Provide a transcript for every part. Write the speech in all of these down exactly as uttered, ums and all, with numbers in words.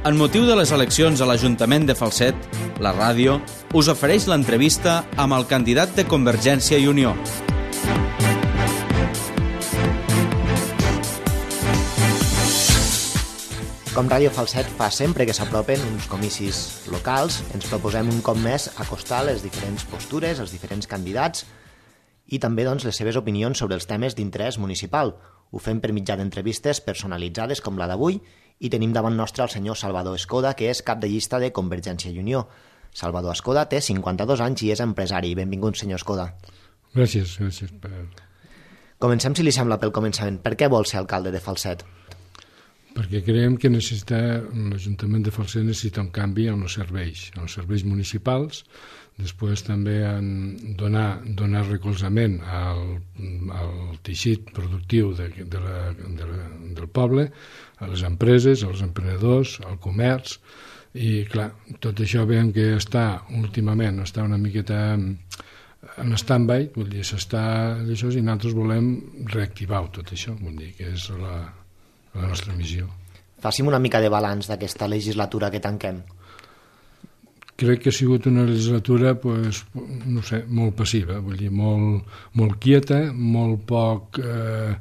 En motiu de les eleccions a l'Ajuntament de Falset, la ràdio us ofereix l'entrevista amb el candidat de Convergència i Unió. Com Ràdio Falset fa sempre que s'apropen uns comicis locals, ens proposem un cop més acostar les diferents postures, els diferents candidats i també doncs, les seves opinions sobre els temes d'interès municipal. Ho fem per mitjà d'entrevistes personalitzades com la d'avui i tenim davant nostre el senyor Salvador Escoda, que és cap de llista de Convergència i Unió. Salvador Escoda té cinquanta-dos anys i és empresari. Benvingut, senyor Escoda. Gràcies, gràcies. Per... Comencem, si li sembla, pel començament. Per què vol ser alcalde de Falset? Perquè creiem que necessita, l'Ajuntament de Falset necessita un canvi en els serveis, en els serveis municipals, després també en donar, donar recolzament al, al teixit productiu de, de la, de la, del poble, a les empreses, als emprenedors, al comerç, i clar, tot això veiem que està últimament, està una miqueta en stand-by, vull dir, s'està d'això, i nosaltres volem reactivar tot això, vull dir, que és la, la nostra missió. Fàcim una mica de balanç d'aquesta legislatura que tanquem. Crec que ha sigut una legislatura, pues, no sé, molt passiva, vull dir, molt, molt quieta, molt poc eh,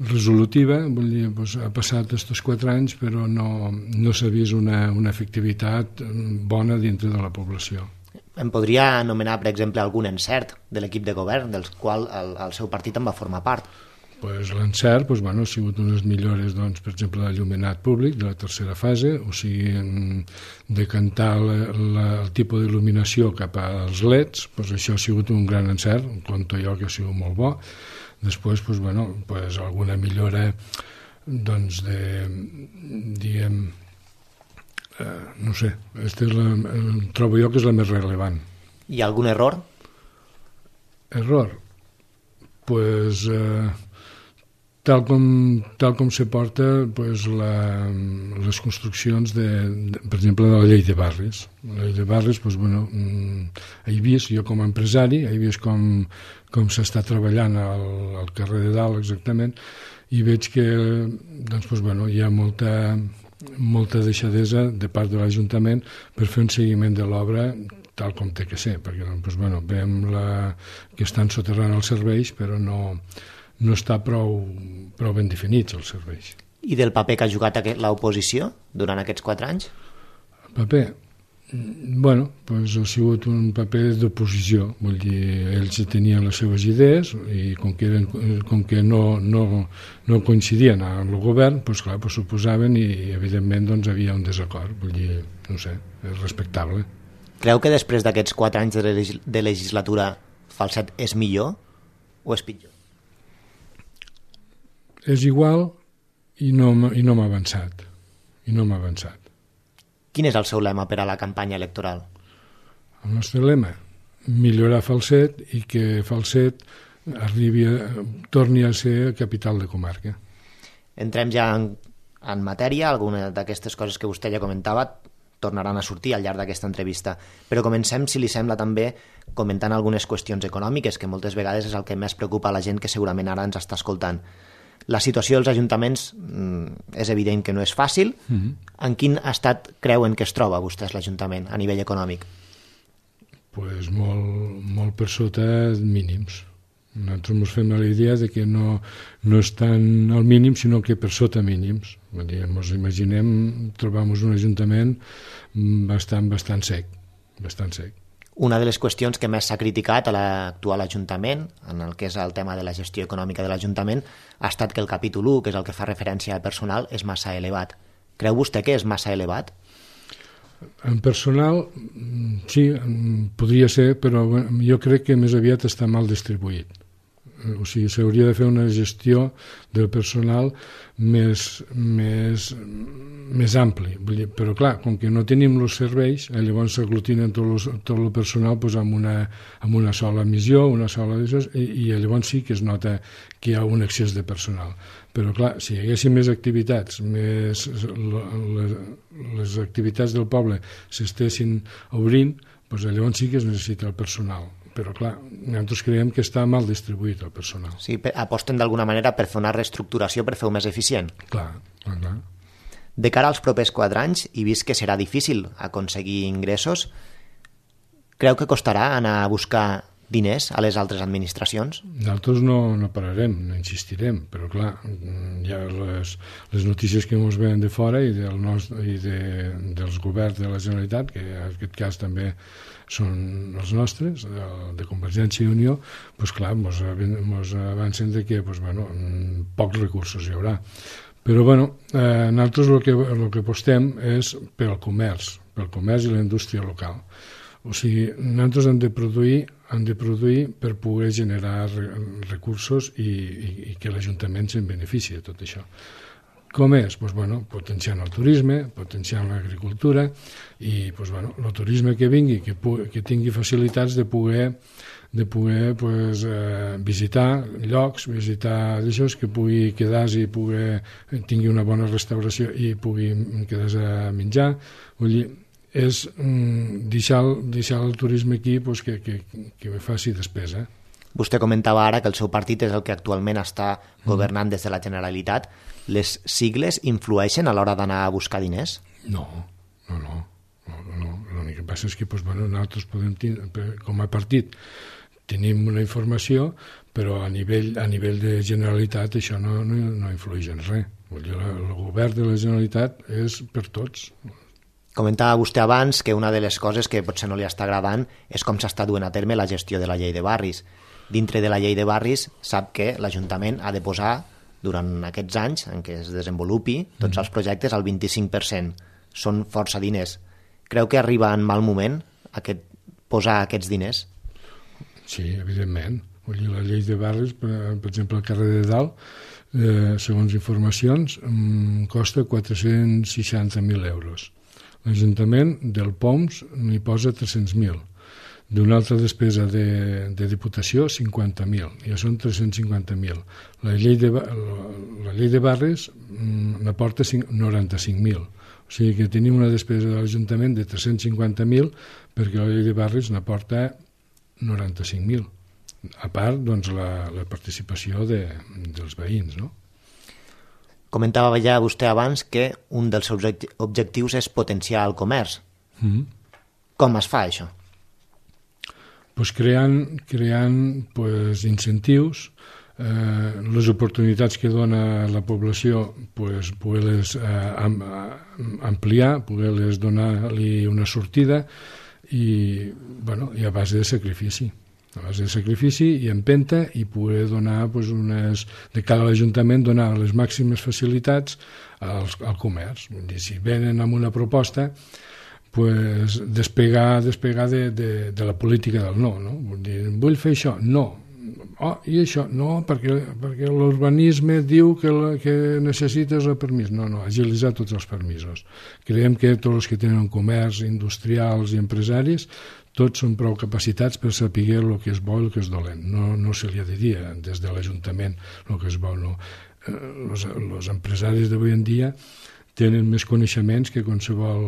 resolutiva, vull dir, pues, ha passat estos quatre anys, però no, no s'ha vist una, una efectivitat bona dintre de la població. Em podria anomenar, per exemple, algun encert de l'equip de govern, del qual el, el seu partit en va formar part. Pues l'encert pues, bueno, ha sigut unes millores, doncs, per exemple, de l'il·luminat públic de la tercera fase, o sigui, decantar la, la, el tipus d'il·luminació cap als L E Ds, pues, això ha sigut un gran encert, compto jo que ha sigut molt bo. Després, pues, bueno, pues, alguna millora, doncs, de, diguem, eh, no sé, este és la, trobo jo que és la més rellevant. I algun error? Error? Pues... Eh, Tal com, tal com se porta pues, la, les construccions, de, de, per exemple, de la llei de barris. La llei de barris, pues, bueno, he vist, jo com a empresari, he vist com, com s'està treballant al, al carrer de dalt exactament, i veig que doncs, pues, bueno, hi ha molta, molta deixadesa de part de l'Ajuntament per fer un seguiment de l'obra tal com té que ser, perquè pues, bueno, veiem la, que estan soterrant els serveis, però no... no està prou, prou ben definits els serveis. I del paper que ha jugat l'oposició durant aquests quatre anys? El paper? Bueno, doncs ha sigut un paper d'oposició, vull dir, ells tenien les seves idees i com que, eren, com que no, no, no coincidien amb el govern, doncs clar, doncs s'oposaven i evidentment doncs, havia un desacord, vull dir, no sé, és respectable. Creu que després d'aquests quatre anys de, legis de legislatura Falset és millor o és pitjor? És igual i no, i no m'ha avançat. I no m'ha avançat. Quin és el seu lema per a la campanya electoral? El nostre lema? Millorar Falset i que Falset arribi a, torni a ser capital de comarca. Entrem ja en, en matèria. Alguna d'aquestes coses que vostè ja comentava tornaran a sortir al llarg d'aquesta entrevista. Però comencem, si li sembla, també comentant algunes qüestions econòmiques, que moltes vegades és el que més preocupa a la gent que segurament ara ens està escoltant. La situació dels ajuntaments mm, és evident que no és fàcil. Mm-hmm. En quin estat creuen que es troba vostès l'Ajuntament a nivell econòmic? Pues molt, molt per sota mínims. Nosaltres ens fem la idea de que no, no estan al mínim, sinó que per sota mínims. Ens imaginem trobar-nos un ajuntament bastant, bastant sec, bastant sec. Una de les qüestions que més s'ha criticat a l'actual Ajuntament, en el que és el tema de la gestió econòmica de l'Ajuntament, ha estat que el capítol u, que és el que fa referència al personal, és massa elevat. Creu vostè que és massa elevat? En personal, sí, podria ser, però jo crec que més aviat està mal distribuït. O sigui, s'hauria de fer una gestió del personal més, més, més ampli. Però clar, com que no tenim els serveis, eh, llavors s'aglutinen tot, los, tot el personal pues, amb, una, amb una sola missió, una sola d'això, i, i llavors sí que es nota que hi ha un excés de personal. Però clar, si hi haguessin més activitats, més, les, les activitats del poble s'estessin obrint, doncs llavors sí que es necessita el personal. Però clar, nosaltres creiem que està mal distribuït el personal. Sí, aposten d'alguna manera per fer una reestructuració per fer-ho més eficient. Clar, clar, clar. De cara als propers quatre anys, i vist que serà difícil aconseguir ingressos, creu que costarà anar a buscar diners a les altres administracions? Nosaltres no, no pararem, no insistirem, però clar, hi ha les, les notícies que ens venen de fora i, del nostre, i de, dels governs de la Generalitat, que en aquest cas també són els nostres, de, de Convergència i Unió, doncs clar, ens avancen de que doncs, bueno, pocs recursos hi haurà. Però bueno, eh, nosaltres el que, el que apostem és pel comerç, pel comerç i la indústria local. O sigui, nosaltres hem de produir, hem de produir per poder generar recursos i, i, i que l'Ajuntament se'n benefici de tot això. Com és? Pues, bueno, potenciant el turisme, potenciant l'agricultura i pues, bueno, el turisme que vingui, que, que tingui facilitats de poder, de poder pues, eh, visitar llocs, visitar d'això, que pugui quedar-se i pugui, tingui una bona restauració i pugui quedar-se a menjar. Vull dir, és mm, deixar, deixar el turisme aquí pues, que, que, que faci despesa. Vostè comentava ara que el seu partit és el que actualment està governant des de la Generalitat. Les sigles influeixen a l'hora d'anar a buscar diners? No, no, no. no, no. L'únic que passa és que pues, bueno, nosaltres podem tenir, com a partit tenim una informació, però a nivell, a nivell de Generalitat això no, no, no influeix en res. Vull dir, el govern de la Generalitat és per tots. Comentava vostè abans que una de les coses que potser no li està agradant és com s'està duent a terme la gestió de la llei de barris. Dintre de la llei de barris sap que l'Ajuntament ha de posar, durant aquests anys en què es desenvolupi, tots els projectes al vint-i-cinc per cent. Són força diners. Creu que arriba en mal moment aquest, posar aquests diners? Sí, evidentment. Vull dir, la llei de barris, per, per exemple, al carrer de Dalt, eh, segons informacions, mm, costa quatre-cents seixanta mil euros. L'Ajuntament del P O M S n'hi posa tres-cents mil. D'una altra despesa de, de Diputació, cinquanta mil. Ja són tres-cents cinquanta mil. La llei de, la, la llei de barris mm, n'aporta noranta-cinc mil. O sigui que tenim una despesa de l'Ajuntament de tres-cents cinquanta mil perquè la llei de barris n'aporta noranta-cinc mil. A part, doncs, la, la participació de, dels veïns, no? Comentava ja vostè abans que un dels objectius és potenciar el comerç. Mm-hmm. Com es fa això? Pues creant, creant pues, incentius, eh, les oportunitats que dona la població, pues, poder-les eh, am, ampliar, poder-les donar-li una sortida i, bueno, i a base de sacrifici. A base de sacrifici i empenta i poder donar pues, unes, de cara a l'Ajuntament donar les màximes facilitats als, al comerç. Vull dir, si venen amb una proposta, pues, despegar, despegar de, de, de la política del no, no. Vull dir, vull fer això, no. Oh, i això, no, perquè, perquè l'urbanisme diu que, la, que necessites el permís. No, no, agilitzar tots els permisos. Creiem que tots els que tenen comerç, industrials i empresaris, tots són prou capacitats per saber el que és bo i el que és dolent. No, no se li ha de dir des de l'Ajuntament el que és bo. No. Els eh, empresaris d'avui en dia tenen més coneixements que qualsevol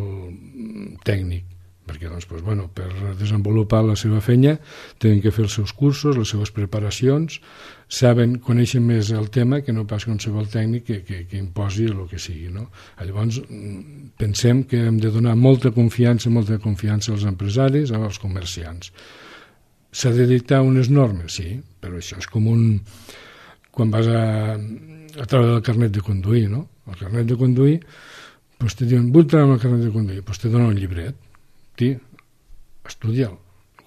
tècnic, perquè doncs, pues, bueno, per desenvolupar la seva feina tenen que fer els seus cursos, les seves preparacions, saben, coneixen més el tema que no pas qualsevol tècnic que, que, que imposi el que sigui. No? Llavors, pensem que hem de donar molta confiança, molta confiança als empresaris, als comerciants. S'ha de dictar unes normes, sí, però això és com un... quan vas a, a treure el carnet de conduir, no? El carnet de conduir, doncs te diuen, vull treure el carnet de conduir, doncs te donen un llibret. Tí, estudia'l.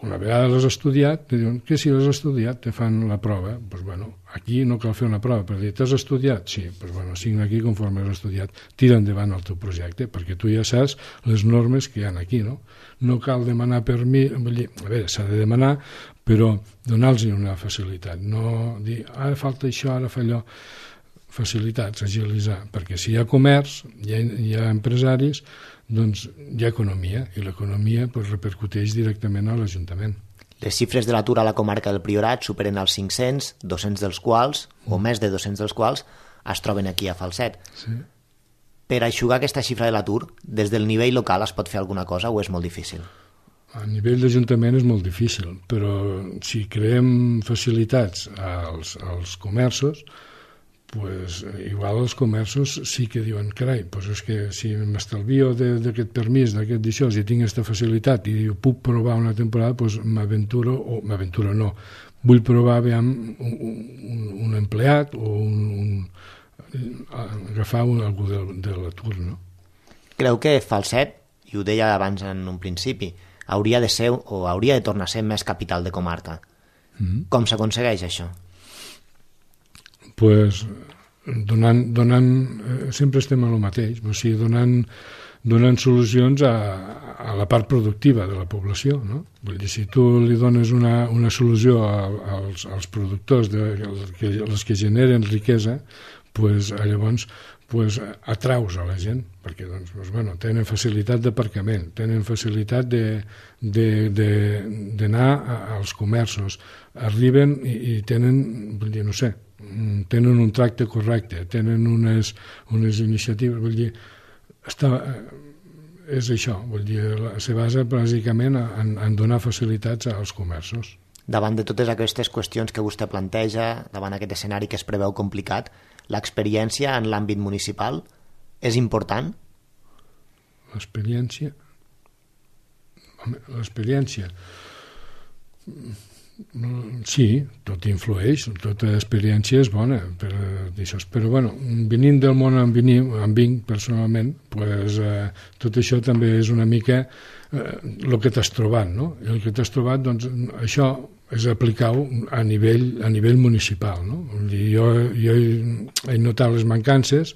Una vegada l'has estudiat, te diuen que si l'has estudiat te fan la prova. Pues bueno, aquí no cal fer una prova, per dir, t'has estudiat? Sí, pues bueno, signa aquí conforme has estudiat. Tira endavant el teu projecte, perquè tu ja saps les normes que hi ha aquí, no? No cal demanar permís, vull dir, a veure, s'ha de demanar, però donar-los una facilitat, no dir, ara falta això, ara fa allò. Facilitats, agilitzar, perquè si hi ha comerç, hi ha, hi ha empresaris, doncs hi ha economia, i l'economia pues, repercuteix directament a l'Ajuntament. Les xifres de l'atur a la comarca del Priorat superen els cinc-cents, dos-cents dels quals, mm. o més de dos-cents dels quals, es troben aquí a Falset. Sí. Per aixugar aquesta xifra de l'atur, des del nivell local es pot fer alguna cosa o és molt difícil? A nivell d'Ajuntament és molt difícil, però si creem facilitats als, als comerços, pues, igual els comerços sí que diuen, carai, pues és que si m'estalvio d'aquest permís, d'aquest d'això, si tinc aquesta facilitat i puc provar una temporada, pues m'aventuro, o m'aventuro no, vull provar aviam un, un, un empleat o un, un, agafar un, algú de, de l'atur, no? Creu que Falset, i ho deia abans en un principi, hauria de ser o hauria de tornar a ser més capital de comarca. Mm-hmm. Com s'aconsegueix això? Pues, donant, donant eh, sempre estem a lo mateix, o sigui, donant, donant solucions a, a la part productiva de la població, no? Vull dir, si tu li dones una, una solució a, als, als productors, de, que, els que generen riquesa, pues, llavors pues, atraus a la gent, perquè doncs, pues, bueno, tenen facilitat d'aparcament, tenen facilitat d'anar als comerços, arriben i, i tenen, vull dir, no sé, tenen un tracte correcte, tenen unes, unes iniciatives, vull dir, està, és això, vull dir, se basa bàsicament en, en donar facilitats als comerços. Davant de totes aquestes qüestions que vostè planteja, davant aquest escenari que es preveu complicat, l'experiència en l'àmbit municipal és important? L'experiència? Home, l'experiència... Sí, tot influeix, tota experiència és bona, però, però bueno, venint del món on venim, on vinc personalment, pues, eh, tot això també és una mica el eh, que t'has trobat, no? I el que t'has trobat, doncs, això és aplicar-ho a nivell, a nivell municipal, no? Jo, jo he notat les mancances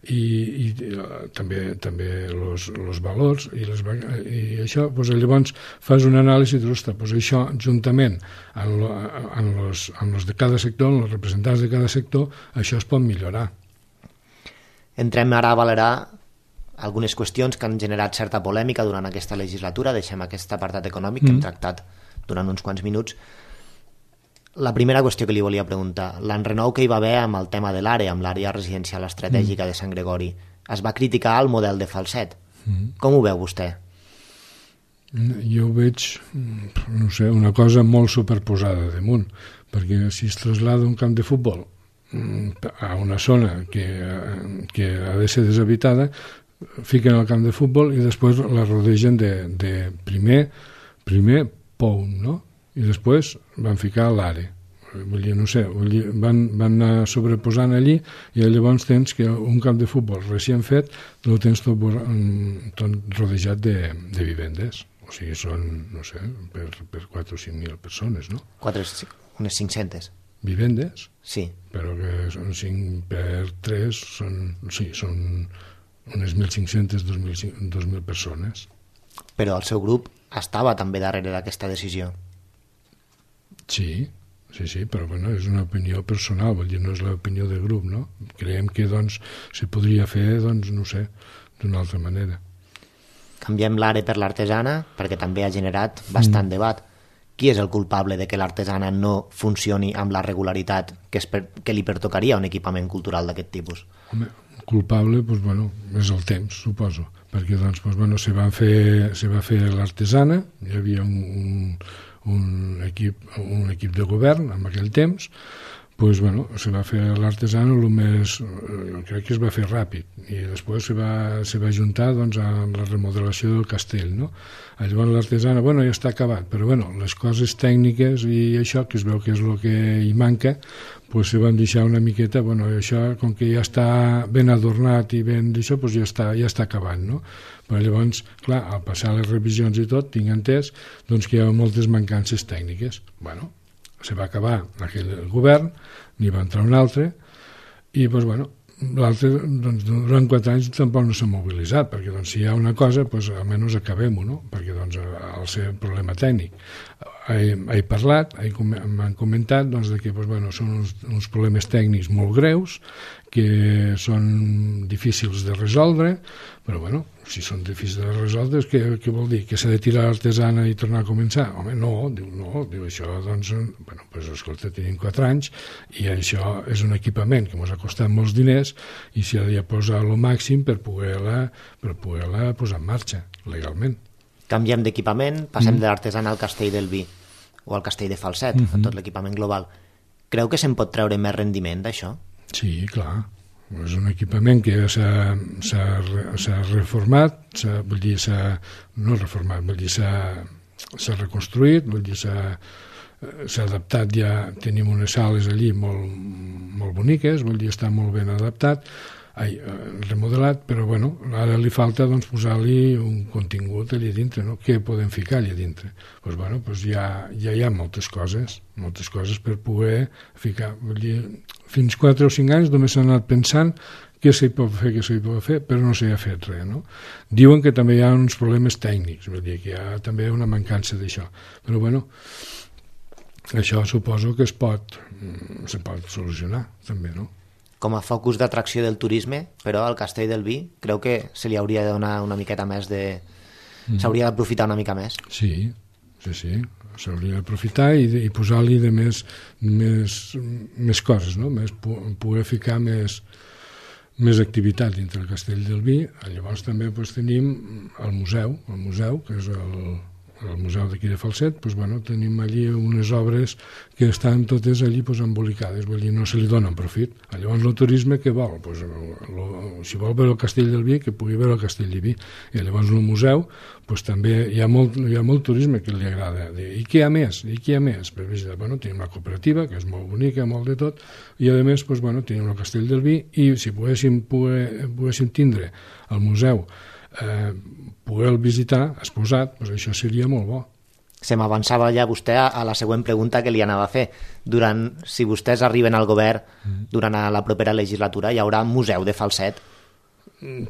i, i també també los, los valors i, les, i això, doncs, llavors fas una anàlisi i dius, ostres, doncs això juntament amb, lo, amb, los, amb los de cada sector, amb els representants de cada sector, això es pot millorar. Entrem ara a valorar algunes qüestions que han generat certa polèmica durant aquesta legislatura. Deixem aquest apartat econòmic mm. que hem tractat durant uns quants minuts. La primera qüestió que li volia preguntar, l'enrenou que hi va haver amb el tema de l'àrea, amb l'àrea residencial estratègica mm. de Sant Gregori, es va criticar el model de Falset. Mm. Com ho veu vostè? Jo ho veig, no sé, una cosa molt superposada damunt, perquè si es traslada un camp de futbol a una zona que, que ha de ser deshabitada, fiquen el camp de futbol i després la rodegen de, de primer, primer pou, no? I després van ficar l'àrea. Vull dir, no sé, vull dir, van, van anar sobreposant allí i llavors tens que un camp de futbol recient fet el tens tot, tot rodejat de, de vivendes. O sigui, són, no sé, per, per quatre o cinc mil persones, no? quatre, unes cinc-centes. Vivendes? Sí. Però que són cinc per tres, són, sí, són unes mil cinc-centes, dos mil persones. Però el seu grup estava també darrere d'aquesta decisió. Sí, sí, sí, però bueno, és una opinió personal, vull dir, no és l'opinió de grup, no? Creiem que, doncs, se podria fer, doncs, no sé, d'una altra manera. Canviem l'àrea per l'artesana, perquè també ha generat bastant mm. debat. Qui és el culpable de que l'artesana no funcioni amb la regularitat que, es per, que li pertocaria a un equipament cultural d'aquest tipus? Home, culpable, doncs, bueno, és el temps, suposo, perquè, doncs, doncs bueno, se va fer, se va fer l'artesana, hi havia un... un un equip, un equip de govern en aquell temps, pues, bueno, se va fer l'artesana el més, crec que es va fer ràpid i després se va, se va juntar, doncs, amb la remodelació del castell, no? Llavors l'artesana, bueno, ja està acabat, però bueno, les coses tècniques i això, que es veu que és el que hi manca, pues se van deixar una miqueta, bueno, això, com que ja està ben adornat i ben d'això, pues ja està, ja està acabant, no? Però llavors, clar, al passar les revisions i tot, tinc entès, doncs, que hi ha moltes mancances tècniques. Bueno, se va acabar aquell govern, n'hi va entrar un altre, i, doncs, bueno, l'altre, doncs, durant quatre anys tampoc no s'ha mobilitzat, perquè, doncs, si hi ha una cosa, doncs, almenys acabem-ho, no? Perquè, doncs, al ser problema tècnic. He, he parlat, m'han comentat, doncs, de que, doncs, bueno, són uns, uns problemes tècnics molt greus, que són difícils de resoldre, però, bueno, si són difícils de resoldre, què, què vol dir? Que s'ha de tirar l'artesana i tornar a començar? Home, no, diu, no, diu això, doncs, bueno, doncs, escolta, tenim quatre anys i això és un equipament que ens ha costat molts diners i s'ha de posar el màxim per poder-la per poder-la posar en marxa, legalment. Canviem d'equipament, passem mm. de l'artesana al castell del vi o al castell de Falset, mm -hmm. a tot l'equipament global. Creu que se'n pot treure més rendiment d'això? Sí, clar. És un equipament que s'ha, s'ha, s'ha reformat, s'ha, vull dir, s'ha, no reformat, vull dir, s'ha, s'ha reconstruït, vull dir, s'ha, s'ha adaptat, ja tenim unes sales allí molt, molt boniques, vull dir, està molt ben adaptat, ai, remodelat, però bueno, ara li falta doncs, posar-li un contingut allà dintre, no? Què podem ficar allà dintre? Pues, bueno, pues ja, ja hi ha moltes coses, moltes coses per poder ficar. Vull dir, fins quatre o cinc anys només s'ha anat pensant què s'hi pot fer, què s'hi pot fer, però no s'hi ha fet res, no? Diuen que també hi ha uns problemes tècnics, vull dir, que hi ha també una mancança d'això, però bueno, això suposo que es pot, se pot solucionar també, no? Com a focus d'atracció del turisme, però al Castell del Vi creu que se li hauria de donar una miqueta més de... Mm. S'hauria d'aprofitar una mica més. Sí, sí, sí. S'hauria d'aprofitar i, i posar-li de més, més, més coses, no? Més, poder ficar més, més activitat dintre del Castell del Vi. Llavors també doncs, tenim el museu, el museu, que és el... el museu d'aquí de Falset, doncs, bueno, tenim allí unes obres que estan totes allí doncs, embolicades, vull dir, no se li donen profit. Llavors el turisme què vol? Doncs, lo, si vol veure el Castell del Vi, que pugui veure el Castell del Vi. I llavors el museu doncs, també hi ha, molt, hi ha molt turisme que li agrada. I què hi ha més? I què hi ha més? Pues, bueno, tenim la cooperativa, que és molt bonica, molt de tot, i a més doncs, bueno, tenim el Castell del Vi, i si poguéssim, pogué, poguéssim tindre el museu eh, poder visitar exposat, doncs això seria molt bo. Se m'avançava ja vostè a, a la següent pregunta que li anava a fer. Durant, si vostès arriben al govern mm. durant la propera legislatura, hi haurà museu de Falset?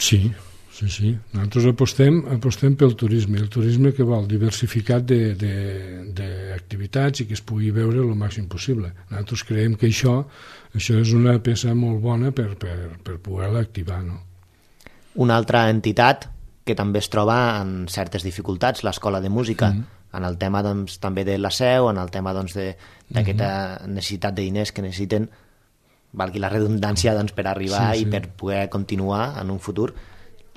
Sí, sí, sí. Nosaltres apostem, apostem pel turisme. El turisme que vol diversificat d'activitats i que es pugui veure el màxim possible. Nosaltres creiem que això, això és una peça molt bona per, per, per poder-la activar, no? Una altra entitat que també es troba en certes dificultats, l'Escola de Música, mm. en el tema doncs, també de la seu, en el tema doncs, d'aquesta doncs, mm. necessitat de diners que necessiten, valgui la redundància, doncs, per arribar sí, sí. i per poder continuar en un futur,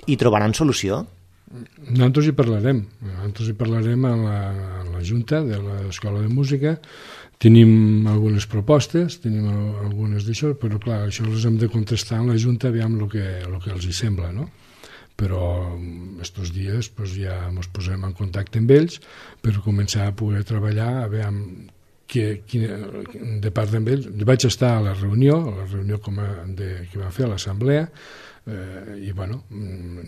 i trobaran solució? Nosaltres hi parlarem. Nosaltres hi parlarem a la, a la Junta de l'Escola de Música. Tenim algunes propostes, tenim algunes d'això, però clar, això les hem de contestar en la Junta, aviam el que, el que els hi sembla, no? Però estos dies pues, ja ens posem en contacte amb ells per començar a poder treballar, a veure que, que, de part d'ells. Vaig estar a la reunió, a la reunió com a de, que va fer a l'assemblea, eh, i bueno,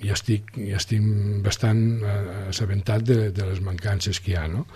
ja estic, ja estic bastant assabentat de, de les mancances que hi ha, no?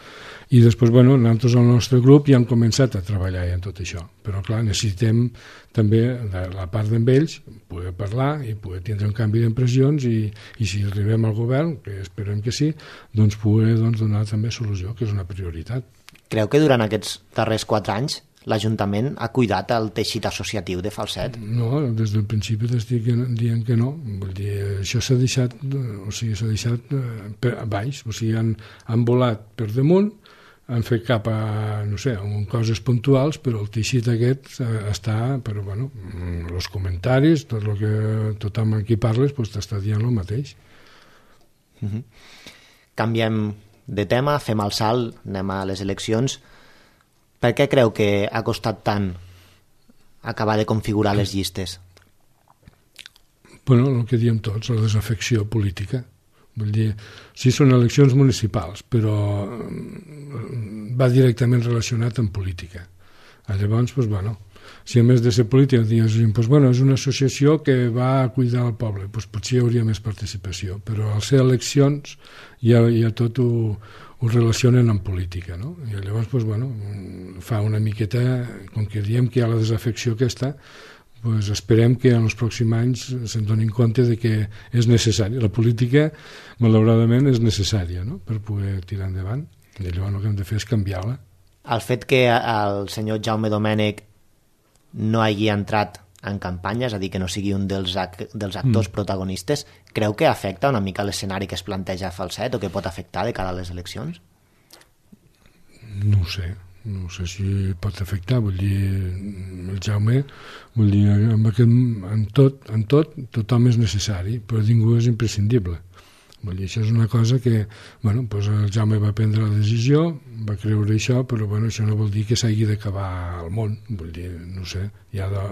I després, bueno, nosaltres al nostre grup ja hem començat a treballar en tot això, però clar, necessitem també de la part d'ells poder parlar i poder tindre un canvi d'impressions i, i si arribem al govern, que esperem que sí, doncs poder doncs, donar també solució, que és una prioritat. Creu que durant aquests darrers quatre anys l'Ajuntament ha cuidat el teixit associatiu de Falset? No, des del principi t'estic dient que no. Vull dir, això s'ha deixat, o sigui, s'ha deixat per a baix, o sigui, han, han volat per damunt, han fet cap a, no sé, a coses puntuals, però el teixit aquest està, però bueno, els comentaris, tot el que tothom amb qui parles, doncs t'està dient el mateix. Uh-huh. Canviem de tema, fem el salt, anem a les eleccions. Per què creu que ha costat tant acabar de configurar les llistes? Bueno, el que diem tots, la desafecció política. Vull dir, sí, són eleccions municipals, però va directament relacionat amb política. Llavors, doncs, bueno, si a més de ser política diguéssim, doncs, bueno, és una associació que va a cuidar el poble, doncs potser hi hauria més participació, però al ser eleccions ja, ja tot ho, ho relacionen amb política, no? I llavors, doncs, bueno, fa una miqueta, com que diem que hi ha la desafecció aquesta, doncs esperem que en els pròxims anys se'n donin compte de que és necessari. La política, malauradament, és necessària, no?, per poder tirar endavant. I llavors el que hem de fer és canviar-la. El fet que el senyor Jaume Domènech no hagi entrat en campanya, és a dir, que no sigui un dels, ac dels actors mm. protagonistes, creu que afecta una mica l'escenari que es planteja a Falset o que pot afectar de cara a les eleccions? No ho sé. No sé si pot afectar, vull dir, el Jaume, vull dir, en, aquest, en, tot, en tot tothom és necessari, però ningú és imprescindible. Vull dir, això és una cosa que, bueno, doncs el Jaume va prendre la decisió, va creure això, però bueno, això no vol dir que s'hagi d'acabar el món. Vull dir, no sé, hi ha de,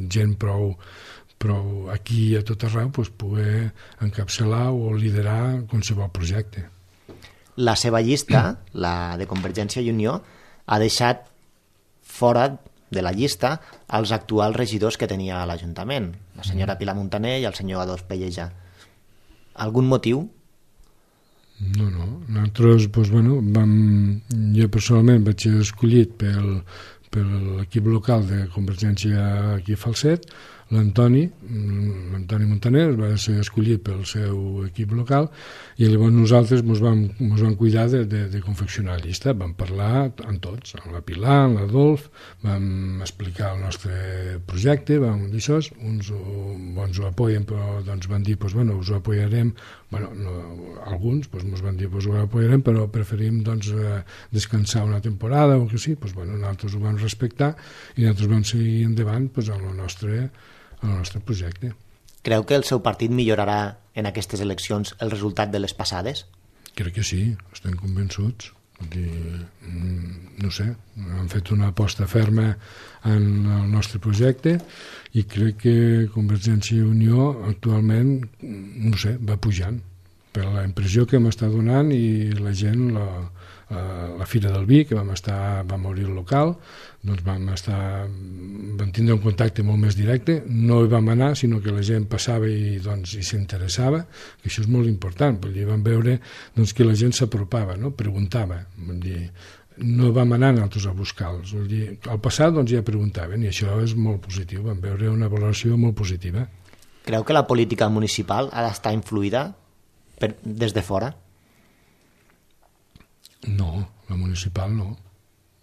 gent prou, prou aquí a tot arreu doncs, poder encapçalar o liderar qualsevol projecte. La seva llista, la de Convergència i Unió, ha deixat fora de la llista els actuals regidors que tenia a l'Ajuntament, la senyora Pilar Montaner i el senyor Adolf Pellejà. Algun motiu? No, no. Nosaltres, doncs, bueno, vam, jo personalment vaig ser escollit pel, per l'equip local de Convergència aquí a Falset. L'Antoni, l'Antoni Montaner va ser escollit pel seu equip local i llavors nosaltres ens vam, ens vam cuidar de, de, de confeccionar la llista. Vam parlar amb tots, amb la Pilar, amb l'Adolf, vam explicar el nostre projecte, vam dir això, uns ho, bons ho apoyen, però doncs van dir, doncs, bueno, us ho apoyarem, bueno, no, alguns doncs, ens van dir, doncs, ho apoyarem, però preferim doncs, eh, descansar una temporada o que sí, doncs, bueno, nosaltres ho vam respectar i nosaltres vam seguir endavant doncs, amb el nostre el nostre projecte. Creu que el seu partit millorarà en aquestes eleccions el resultat de les passades? Crec que sí, estem convençuts. Dir, no sé, hem fet una aposta ferma en el nostre projecte i crec que Convergència i Unió actualment, no sé, va pujant per la impressió que m'està donant i la gent, la, la Fira del Vi, que vam estar, vam obrir el local, doncs vam estar, vam tindre un contacte molt més directe, no hi vam anar, sinó que la gent passava i doncs i s'interessava, que això és molt important, vull dir, vam veure doncs, que la gent s'apropava, no? Preguntava, vull dir, no vam anar nosaltres a buscar-los, vull dir, al passat doncs ja preguntaven i això és molt positiu, vam veure una valoració molt positiva. Creu que la política municipal ha d'estar influïda per, des de fora? No, la municipal no.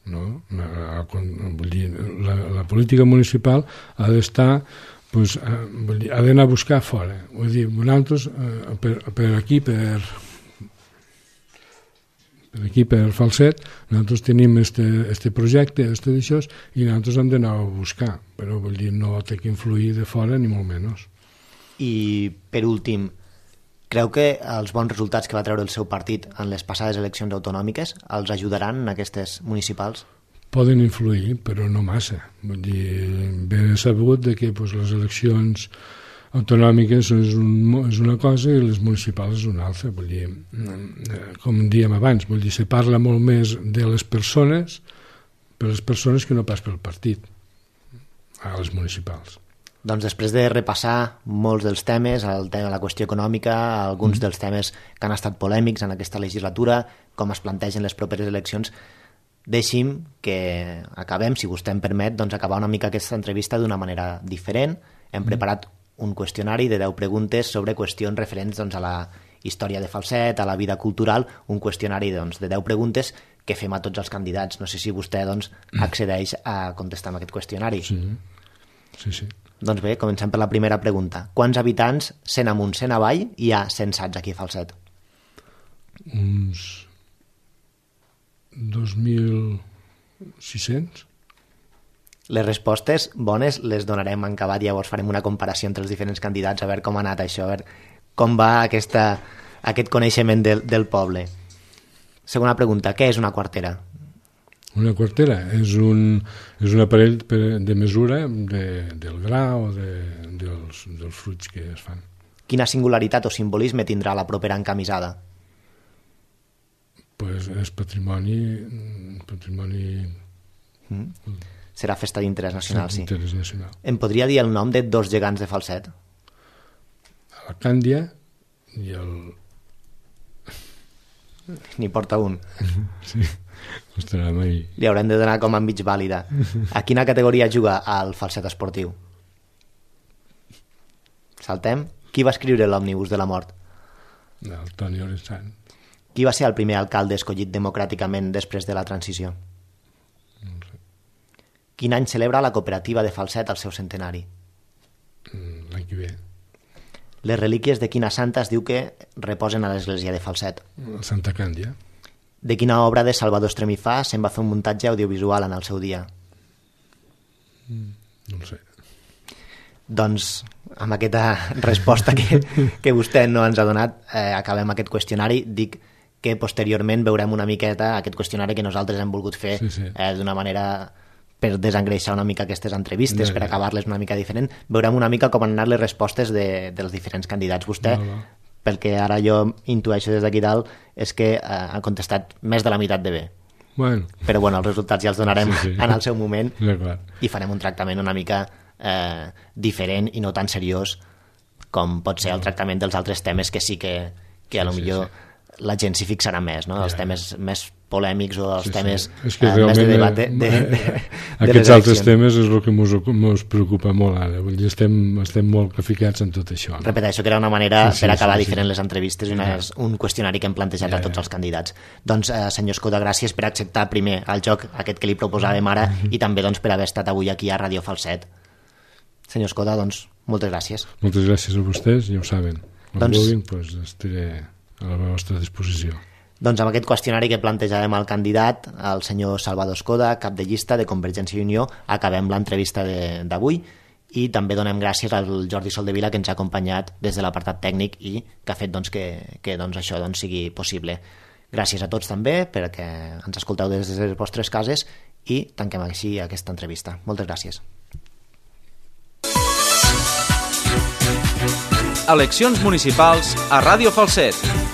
No? Vull dir, la, la política municipal ha d'estar pues, vull dir, ha d'anar a buscar fora. Vull dir, nosaltres per, per aquí, per, per aquí, per Falset, nosaltres tenim este, este projecte, este d'això, i nosaltres hem d'anar a buscar, però vull dir, no té que influir de fora ni molt menys. I per últim, creu que els bons resultats que va treure el seu partit en les passades eleccions autonòmiques els ajudaran en aquestes municipals? Poden influir, però no massa. Vull dir, ben sabut de que pues, les eleccions autonòmiques és, un, és una cosa i les municipals és una altra. Vull dir, com dèiem abans, vull dir, se parla molt més de les persones per les persones que no pas pel partit a les municipals. Doncs després de repassar molts dels temes, el tema de la qüestió econòmica, alguns mm. dels temes que han estat polèmics en aquesta legislatura, com es plantegen les properes eleccions, deixi'm que acabem, si vostè em permet, doncs acabar una mica aquesta entrevista d'una manera diferent. Hem mm. preparat un qüestionari de deu preguntes sobre qüestions referents doncs, a la història de Falset, a la vida cultural, un qüestionari doncs, de deu preguntes que fem a tots els candidats. No sé si vostè doncs, accedeix a contestar amb aquest qüestionari. Sí, sí, sí. Doncs bé, comencem per la primera pregunta. Quants habitants, cent amunt, cent avall, hi ha censats aquí a Falset? Uns dos mil sis-cents. Les respostes bones les donarem en acabat, llavors farem una comparació entre els diferents candidats, a veure com ha anat això, a veure com va aquesta, aquest coneixement del, del poble. Segona pregunta, què és una quartera? Una quartera és un, és un aparell de mesura de, del gra o de, dels, dels fruits que es fan. Quina singularitat o simbolisme tindrà la propera encamisada? Pues és patrimoni... patrimoni... Mm. Serà festa d'interès nacional, sí. Interès nacional. Em podria dir el nom de dos gegants de Falset? La Càndia i el... N'hi porta un. Sí. Mai... Li haurem de donar com a mig vàlida. A quina categoria juga al Falset esportiu? Saltem. Qui va escriure l'Òmnibus de la mort? El Toni Oresant. Qui va ser el primer alcalde escollit democràticament després de la transició? No sé. Quin any celebra la cooperativa de Falset el seu centenari? L'any que ve. Les relíquies de quina santa es diu que reposen a l'església de Falset? Santa Càndia. De quina obra de Salvador Estremifà se'n va fer un muntatge audiovisual en el seu dia? No ho sé. Doncs amb aquesta resposta que, que vostè no ens ha donat, eh, acabem aquest qüestionari. Dic que posteriorment veurem una miqueta aquest qüestionari que nosaltres hem volgut fer sí, sí. Eh, d'una manera per desengreixar una mica aquestes entrevistes, no, per acabar-les una mica diferent. Veurem una mica com han anat les respostes de, dels diferents candidats. Vostè, no, no. pel que ara jo intueixo des d'aquí dalt, és que eh, ha contestat més de la meitat de bé. Bueno. Però bueno, els resultats ja els donarem sí, sí. en el seu moment ja, i farem un tractament una mica eh, diferent i no tan seriós com pot ser no. el tractament dels altres temes que sí que, que a lo sí, millor sí, sí. la gent s'hi fixarà més, no? Ja. Els temes més polèmics o els sí, temes sí. És que eh, més de debat de, de, de, de aquests altres temes és el que ens preocupa molt ara. Vull dir, estem, estem molt ficats en tot això. No? Repeteixo que era una manera sí, sí, per acabar sí, diferent sí. les entrevistes i una, ja. un qüestionari que hem plantejat ja, a tots ja. els candidats. Doncs, eh, senyor Escoda, gràcies per acceptar primer el joc aquest que li proposàvem ara mm-hmm. i també doncs, per haver estat avui aquí a Radio Falset. Senyor Escoda, doncs, moltes gràcies. Moltes gràcies a vostès, ja ho saben. Quan doncs, vulguin, doncs estaré a la vostra disposició. Doncs amb aquest qüestionari que plantejàvem al candidat, el senyor Salvador Escoda, cap de llista de Convergència i Unió, acabem l'entrevista d'avui i també donem gràcies al Jordi Soldevila que ens ha acompanyat des de l'apartat tècnic i que ha fet doncs, que, que doncs, això doncs, sigui possible. Gràcies a tots també perquè ens escolteu des de les vostres cases i tanquem així aquesta entrevista. Moltes gràcies. Eleccions municipals a Ràdio Falset.